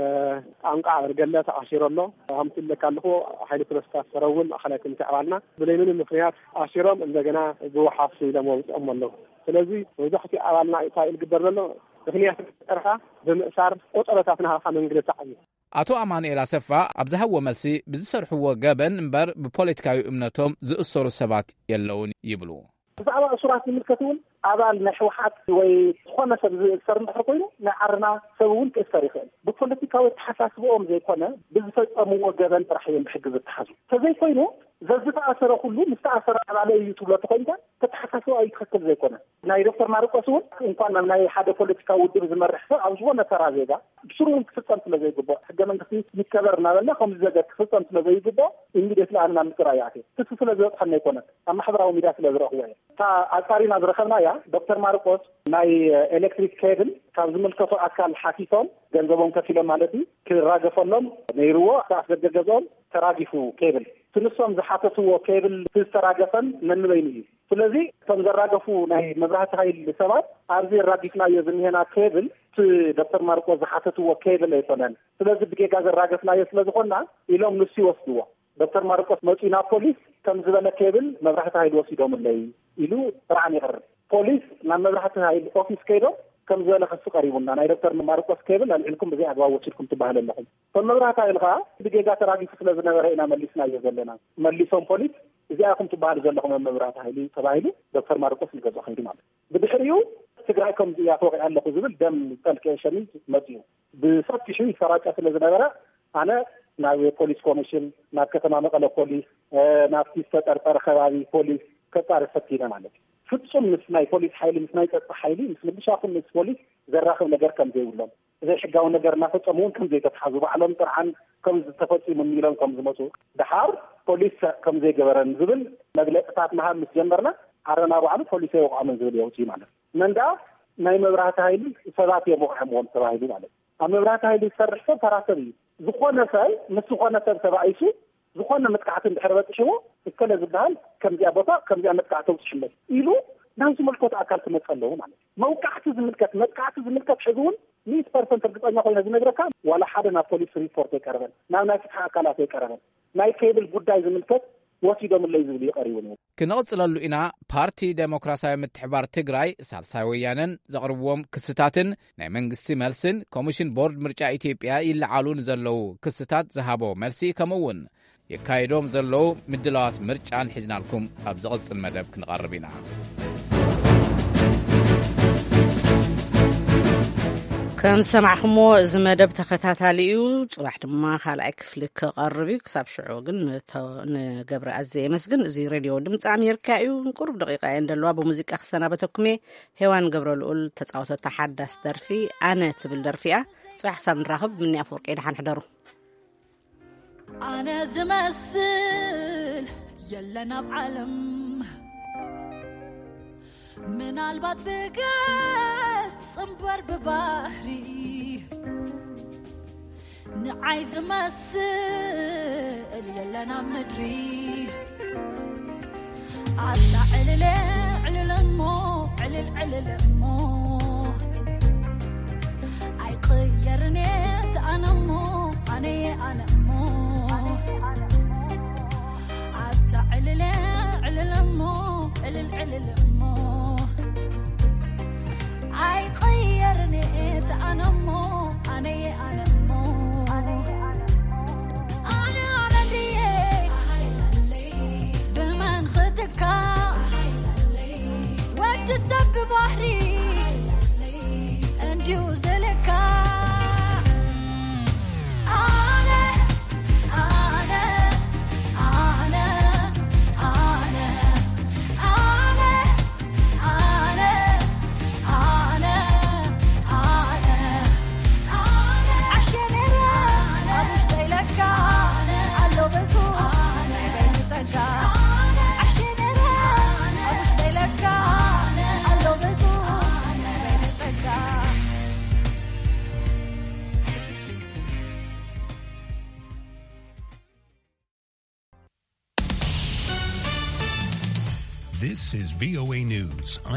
ጣንቋ ኣበርገለ ተኣሲሩ ኣሎ። ከምቲ ኢለካ ኣለኹ፣ ሓይሊ ፕረስ ታስፈረ እውን ማእኸላይ ኮሚቴ ኣባልና ብለይ ምንም ምኽንያት ኣሲሮም እንደገና ብወሓስ ኢሎም ወፅኦም ኣለዉ። ስለዚ መብዛሕትኡ ኣባልና እንታይ እዩ ዝግበር ዘሎ? ምኽንያት ፈጠርካ ብምእሳር ቆፀሮታት ናሃኻ መንግልታዕ እዩ። ኣቶ ኣማኑኤል ኣሰፋ ኣብ ዝሃብዎ መልሲ፣ ብዝሰርሕዎ ገበን እምበር ብፖለቲካዊ እምነቶም ዝእሰሩ ሰባት የለውን ይብሉ። ብዛዕባ እሱራት ዝምልከት እውን ኣባል ናይ ህወሓት ወይ ዝኾነ ሰብ ዝእሰር እንድሕር ኮይኑ ናይ ዓርና ሰብ እውን ክእሰር ይኽእል። ብፖለቲካዊ ኣተሓሳስብኦም ዘይኮነ ብዝፈጸምዎ ገበን ጥራሕ እዮም ብሕጊ ዝተሓዙ። ተዘይኮይኑ ዘዝተኣሰረ ኩሉ ምስ ተኣሰረ ኣባለ እዩ ትብሎ ተኾይንካ ተተሓሳስባ እዩ ትኽክል ዘይኮነ። ናይ ዶክተር ማርቆስ እውን እንኳን ናብ ናይ ሓደ ፖለቲካዊ ውድብ ዝመርሕ ሰብ ኣብ ዝኾነ ተራ ዜጋ ብስሩ እውን ክፍጸም ስለ ዘይግባእ ሕገ መንግስቲ ይከበር እናበልና ከምዚ ዘገር ክፍጸም ስለ ዘይግባእ ኢሚዲየትሊ ኣነ ናብ ምፅራይ ይኣትየ። ክሲ ስለ ዝበፅሐና ኣይኮነን፣ ኣብ ማሕበራዊ ሚድያ ስለ ዝረኽቦ እየ። እታ ኣጻሪና ዝረኸብናያ ዶክተር ማርቆስ ናይ ኤሌክትሪክ ኬብል ካብ ዝምልከቶ ኣካል ሓቲቶም ገንዘቦም ከፊሎም ማለት እዩ ክራገፈሎም ነይርዎ። እቲ ኣፍደገ ገዝኦም ተራጊፉ ኬብል እቲ ንሶም ዝሓተትዎ ኬብል እቲ ዝተራገፈን ነንበይኑ እዩ። ስለዚ እቶም ዘራገፉ ናይ መብራህቲ ሃይል ሰባት ኣብዚ የራጊፍናዮ ዝኒሄና ኬብል እቲ ዶክተር ማርቆስ ዝሓተትዎ ኬብል ኣይኮነን። ስለዚ ብጌጋ ዘራገፍናዮ ስለ ዝኾንና ኢሎም ንሱ ይወስድዎ። ዶክተር ማርቆስ መፂኡ ናብ ፖሊስ ከም ዝበለ ኬብል መብራህቲ ሃይል ወሲዶምለይ ኢሉ ጥርዓን የቕርብ። ፖሊስ ናብ መብራህቲ ሃይል ኦፊስ ከይዶም ከም ዝበለ ክሲ ቀሪቡና ናይ ዶክተር ማርቆስ ኬብል ኣልዒልኩም ብዘይ ኣግባብ ወሲድኩም ትበሃል ኣለኹም። እቶም መብራህቲ ሃይል ከዓ ብጌጋ ተራጊፉ ስለ ዝነበረ ኢና መሊስናዮ ዘለና። መሊሶም ፖሊስ እዚኣ ኢኹም ትበሃሉ ዘለኹም ኣብ መብራህቲ ሃይል ተባሂሉ ዶክተር ማርቆስ ንገዝኦ ከይዱ ማለት እዩ። ብድሕሪኡ ትግራይ ከምዚ እያ ተወቂዐ ኣለኹ ዝብል ደም ዝጠልቀየ ሸሚዝ መፂኡ ብሰፊሑ ይሰራጨ ስለ ዝነበረ ኣነ ናብ ፖሊስ ኮሚሽን፣ ናብ ከተማ መቐለ ፖሊስ፣ ናብቲ ዝተጠርጠረ ከባቢ ፖሊስ ከፃሪ ፈቲነ ማለት እዩ። ፍፁም ምስ ናይ ፖሊስ ሓይሊ፣ ምስ ናይ ፀጥታ ሓይሊ፣ ምስ ምልሻ ኩን ምስ ፖሊስ ዘራኽብ ነገር ከም ዘይብሎም፣ ዘይሕጋዊ ነገር እናፈፀሙ እውን ከም ዘይተትሓዙ፣ ባዕሎም ጥርዓን ከም ዝተፈፂሙ ኢሎም ከም ዝመፁ፣ ደሓር ፖሊስ ከም ዘይገበረን ዝብል መግለፅታት ምሃብ ምስ ጀመርና፣ ዓረና ባዕሉ ፖሊስ ኣይወቕዖምን ዝብል የውፅእ ማለት እዩ። መንዳ ናይ መብራህቲ ሃይሊ ሰባት እዮም ወቕዖምዎም ተባሂሉ ማለት እዩ። ኣብ መብራህቲ ሃይሊ ዝሰርሕ ሰብ ተራ ሰብ እዩ። ዝኾነ ሰብ ምስ ዝኾነ ሰብ ተባኢሱ ዝኾነ መጥቃዕቲ እንድሕር በፂሕዎ፣ እከለ ዝበሃል ከምዚኣ ቦታ ከምዚኣ መጥቃዕቲ ተውፅሕለይ ኢሉ ናብ ዝምልከቱ ኣካል ክመፀ ኣለዎ ማለት እዩ። መውቃዕቲ ዝምልከት፣ መጥቃዕቲ ዝምልከት ሕዚ እውን ሚእቲ ፐርሰንት እርግፀኛ ኮይነ ዝነግረካ ዋላ ሓደ ናብ ፖሊስ ሪፖርት ኣይቀረበን፣ ናብ ናይ ፍትሒ ኣካላት ኣይቀረበን። ናይ ኬብል ጉዳይ ዝምልከት ወሲዶምለይ ዝብል እዩ ቀሪቡ ነይሩ። ክንቕፅለሉ ኢና። ፓርቲ ዴሞክራሲያዊ ምትሕባር ትግራይ፣ ሳልሳይ ወያነን ዘቕርብዎም ክስታትን ናይ መንግስቲ መልስን ኮሚሽን ቦርድ ምርጫ ኢትዮጵያ ይለዓሉ ንዘለዉ ክስታት ዝሃቦ መልሲ ከምኡ እውን የካይዶም ዘለዉ ምድላዋት ምርጫን ሒዝናልኩም ኣብ ዝቕጽል መደብ ክንቐርብ ኢና። ከም ዝሰማዕኹሞ እዚ መደብ ተኸታታሊ እዩ። ጽባሕ ድማ ካልኣይ ክፍሊ ክቐርብ እዩ። ክሳብ ሽዑ ግን ንተ-፣ ንገብረ ኣዜ የመስግን። እዚ ሬድዮ ድምፂ ኣሜሪካ እዩ። ቁሩብ ደቂቃ እየን ዘለዋ። ብሙዚቃ ክሰናበተኩም እየ። ሄዋን ገብረ ልኡል ተጻወተታ ሓዳስ ደርፊ ኣነ ትብል ደርፊ እያ። ጽባሕ ክሳብ ንራኸብ ምኒ ኣፈወርቂ ደሓን ሕደሩ። ኣነ ዝመስል የለን ኣብ ዓለም፣ ምናልባት ብገጽ እምበር ብባህሪ ንዓይ ዝመስል የለን ኣብ ምድሪ። ኣታ ዕልለ ዕልል እሞ፣ ዕልል ዕልል እሞ፣ ኣይቅየርን እየ ኣነ እሞ፣ ኣነየ ኣነ እሞ። ኣታ ዕልለ ዕልል እሞ፣ ዕልል ዕልል እሞ፣ ኣይቅየርን እየ ኣነ እሞ፣ ኣነየ ኣነ እሞ። ኣነ ኣነ ድየ ብመን ክትካ ወዲ ሰብ ብባህሪ እንዲዩ ዝልካ። ኣነ ኣነ ኣነ This is V O A News. I'm